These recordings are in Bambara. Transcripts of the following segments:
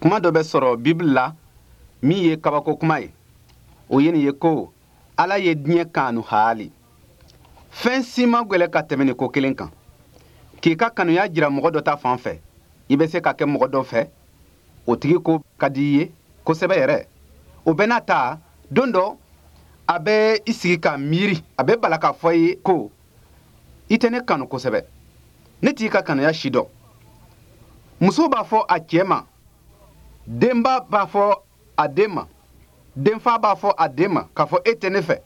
Kuma dɔ bɛ sɔrɔ Bibili la min ye kabako kuma ye. O ye nin ye ko Ala ye diɲɛ kanu haali. Fɛn si ma gwɛlɛ ka tɛmɛ nin ko kelen kan. K'i ka kanuya jira mɔgɔ dɔ ta fan fɛ, i bɛ se ka kɛ mɔgɔ dɔ fɛ, o tigi ko ka di i ye kosɛbɛ yɛrɛ. O bɛɛ n'a ta, don dɔ, a bɛ i sigi ka miiri, a bɛ bala k'a fɔ i ye ko i tɛ ne kanu kosɛbɛ. Ne t'i ka kanuya si dɔn. Muso b'a fɔ a cɛ ma, denba b'a fɔ a den ma, denfa b'a fɔ a den ma k'a fɔ e tɛ ne fɛ,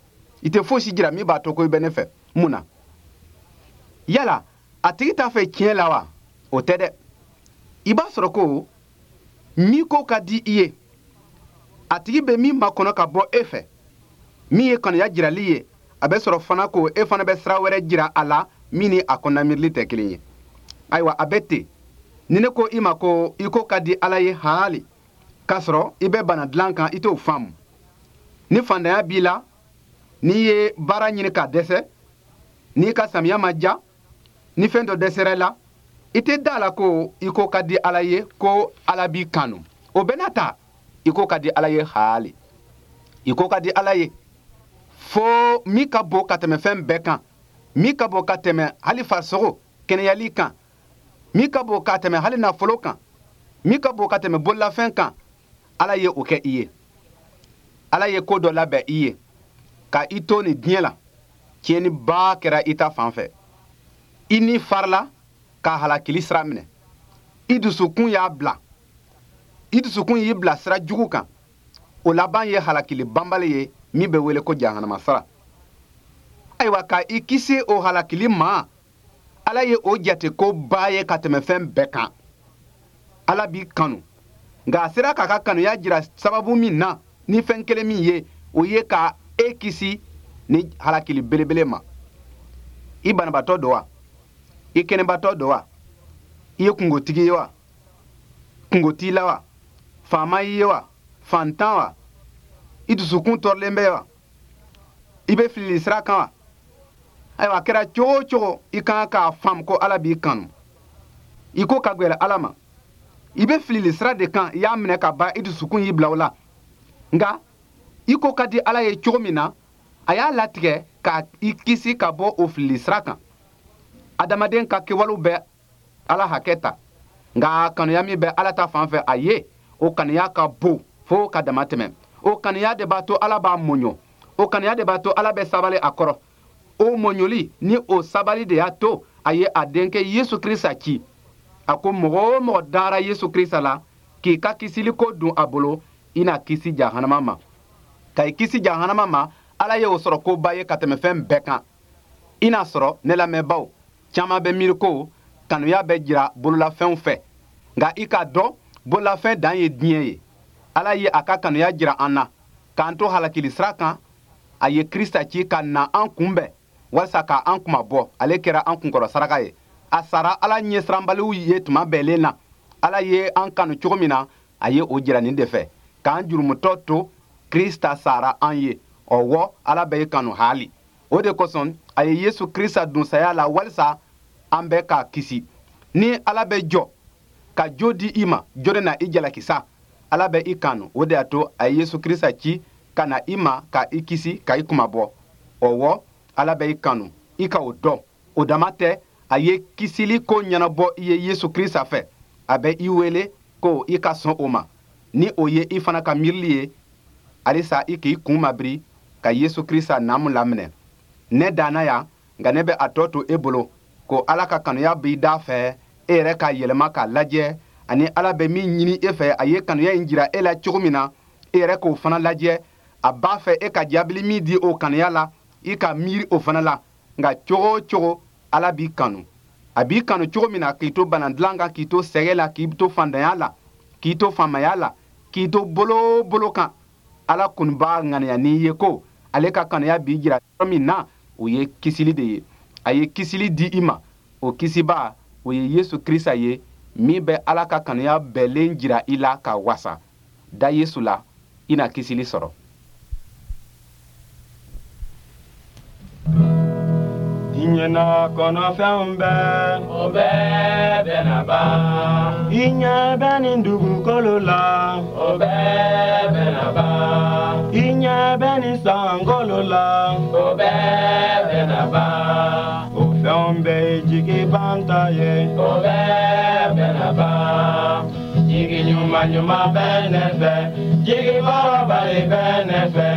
i tɛ fosi jira min b'a to ko i bɛ ne fɛ. Mun na? Yala a tigi t'a fɛ tiɲɛ la wa? O tɛ dɛ. I b'a sɔrɔ ko min ko ka di i ye, a tigi bɛ min makɔnɔ ka bɔ e fɛ, min ye kanuya jirali ye, a bɛ sɔrɔ fana ko e fana bɛ sira wɛrɛ jira a la min ni a kɔnɔnamiirili tɛ kelen ye. Ayiwa, a bɛ ten. Ni ne ko i ma ko i ko ka di Ala ye haali, k'a sɔrɔ i bɛ bana dilan kan, i t'o faamu. Ni fantanya b'i la, n'i ye baara ɲini ka dɛsɛ, n'i ka samiya ma diya, ni fɛn dɔ dɛsɛra i la, i tɛ da a la ko i ko ka di Ala ye, ko Ala b'i kanu. O bɛɛ n'a ta, i ko ka di Ala ye haali. I ko ka di Ala ye fo min ka bon ka tɛmɛ fɛn bɛɛ kan, min ka bon ka tɛmɛ hali farisogo kɛnɛyali kan, min ka bon ka tɛmɛ hali nafolo kan, min ka bon ka tɛmɛ bololafɛn kan, Ala ye o kɛ i ye. Ala ye ko dɔ labɛn i ye ka i to nin diɲɛ la. Tiɲɛniba kɛra i ta fan fɛ. I ni farila ka halakili sira minɛ. I dusukun y'a bila. I dusukun y'i bila sira jugu kan. O laban ye halakili banbali ye min bɛ wele ko jahanama sara. Ayiwa, ka i kisi o halakili ma, Ala ye o jate ko ba ye ka tɛmɛ fɛn bɛɛ kan. Ala b'i kanu, nka a sera k'a ka kanuya jira sababu min na ni fɛn kelen min ye, o ye ka e kisi ni halakili belebele ma. I banabaatɔ don wa? I kɛnɛbatɔ don wa? I ye kungotigi ye wa? Kungo t'i la wa? Faama y'i ye wa? Fantan wa? I dusukun tɔɔrɔlen bɛ wa? I bɛ filili sira kan wa? Ayiwa, a kɛra cogo o cogo, i kan k'a faamu ko Ala b'i kanu. I ko ka gwɛlɛ Ala ma. I bɛ filili sira de kan, i y'a minɛ ka ban, i dusukun y'i bila o la. Nka i ko ka di Ala ye cogo min na, a y'a latigɛ ka i kisi ka bɔ o filili sira kan. Adamaden ka kɛwalew bɛ Ala hakɛ ta, nka kanuya min bɛ Ala ta fan fɛ a ye, o kanuya ka bon fo ka dama tɛmɛ. O kanuya de b'a to Ala b'a mɔɲɔ. O kanuya de b'a to Ala bɛ sabali a kɔrɔ. O mɔɲɔli ni o sabali de y'a to a ye a denkɛ Yesu Krista ci. A ko mɔgɔ o mɔgɔ dara Yesu Krista la k'i ka kisiliko dun a bolo, i na kisi jahanama ma. Ka i kisi jahanama ma, Ala ye o sɔrɔ koba ye ka tɛmɛ fɛn bɛɛ kan. I n'a sɔrɔ ne lamɛnbaaw caman bɛ miiri ko kanuya bɛ jira bololafɛnw fɛ, nka i k'a dɔn bololafɛn dan ye diɲɛ ye. Ala ye a ka kanuya jira an na k'an to halakili sira kan. A ye Krista ci ka na an kunbɛn walisa ka an kunmabɔ. Ale kɛra an kunkɔrɔ saraka ye. A sara Ala ɲɛsiranbaliw ye tuma bɛɛlen na. Ala ye an kanu cogo min na, a ye o jira nin de fɛ, k'an jurumutɔ to, Krista sara an ye. Ɔwɔ, Ala bɛ i kanu haali. O de kosɔn a ye Yesu Krista dun saya la walisa an bɛɛ ka kisi. Ni Ala bɛ jɔ ka jo di i ma, jɔni na i jalaki sa? Ala bɛ i kanu, o de y'a to a ye Yesu Krista ci ka na i ma ka i kisi, ka i kunmabɔ. Ɔwɔ, Ala bɛ i kanu, i ka o dɔn. O dama tɛ, a ye kisili ko ɲɛnabɔ i ye Yesu Krista fɛ. A bɛ i wele ko i ka sɔn o ma. Ni o ye i fana ka miirili ye, halisa i k'i kun mabiri ka Yesu Krista naamu laminɛ. Ne danna yan, nka ne bɛ a tɔ to e bolo ko Ala ka kanuya b'i da fɛ, e yɛrɛ k'a yɛlɛma k'a lajɛ, ani Ala bɛ min ɲini e fɛ, a ye kanuya in jira e la cogo min na, e yɛrɛ k'o fana lajɛ. A b'a fɛ e ka jaabili min di o kanuya la, i ka miiri o fana la. Nka cogo o cogo, Ala b'i kanu. A b'i kanu cogo min na, k'i to bana dilan kan, k'i to sɛgɛ la, k'i to fantanya la, k'i to faamaya la, k'i to bolo o bolo kan, Ala kɔni b'a ŋaniya n'i ye ko ale ka kanuya b'i jira yɔrɔ min na, o ye kisili de ye. A ye kisili di i ma. O kisibaa, o ye Yesu Krista ye, min bɛ Ala ka kanuya bɛɛlen jira i la ka wasa. Da Yesu la, i na kisili sɔrɔ. Diɲɛ n'a kɔnɔfɛnw bɛɛ, o bɛɛ bɛna ban. I ɲɛ bɛ nin dugukolo la, o bɛɛ bɛna ban. I ɲɛ bɛ nin sankolo la, o bɛɛ bɛna ban. O fɛnw bɛɛ ye jigi banta ye, o bɛɛ bɛna ban. Jigi ɲuman ɲuman bɛ ne fɛ, jigi kɔrɔbali bɛ ne fɛ,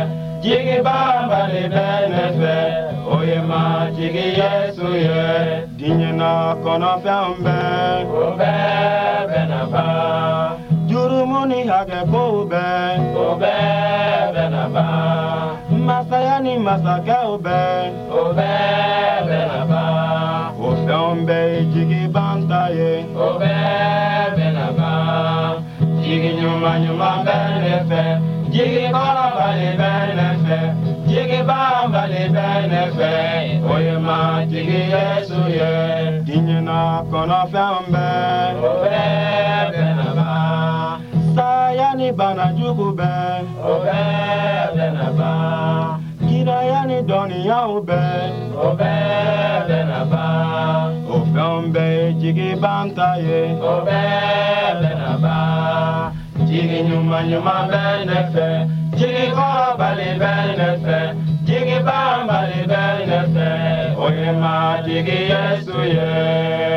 jigi banbali bɛ ne fɛ, o ye Matigi Yesu ye. Diɲɛ n'a kɔnɔfɛnw bɛɛ, o bɛɛ bɛna ban. Jurumu ni hakɛ kow bɛɛ, o bɛɛ bɛna ban. Masaya ni masakɛw bɛɛ, o bɛɛ bɛna ban. O fɛnw bɛɛ ye jigi banta ye, o bɛɛ bɛna ban. Jigi ɲuman ɲuman bɛ ne fɛ, jigi kɔrɔbali bɛ ne fɛ, jigi banbali bɛ ne fɛ, o ye Matigi Yesu ye. Diɲɛ n'a kɔnɔfɛnw bɛɛ, o bɛɛ bɛna ban. Saya ni bana jugu bɛɛ, o bɛɛ bɛna ban. Kiraya ni dɔnniyaw bɛɛ, o bɛɛ bɛna ban. O fɛnw bɛɛ ye jigi banta ye, o bɛɛ bɛna ban. Jigi ɲuman ɲuman bɛ ne fɛ, jigi kɔrɔbali bɛ ne fɛ, jigi banbali bɛ ne fɛ, o ye Matigi Yesu ye.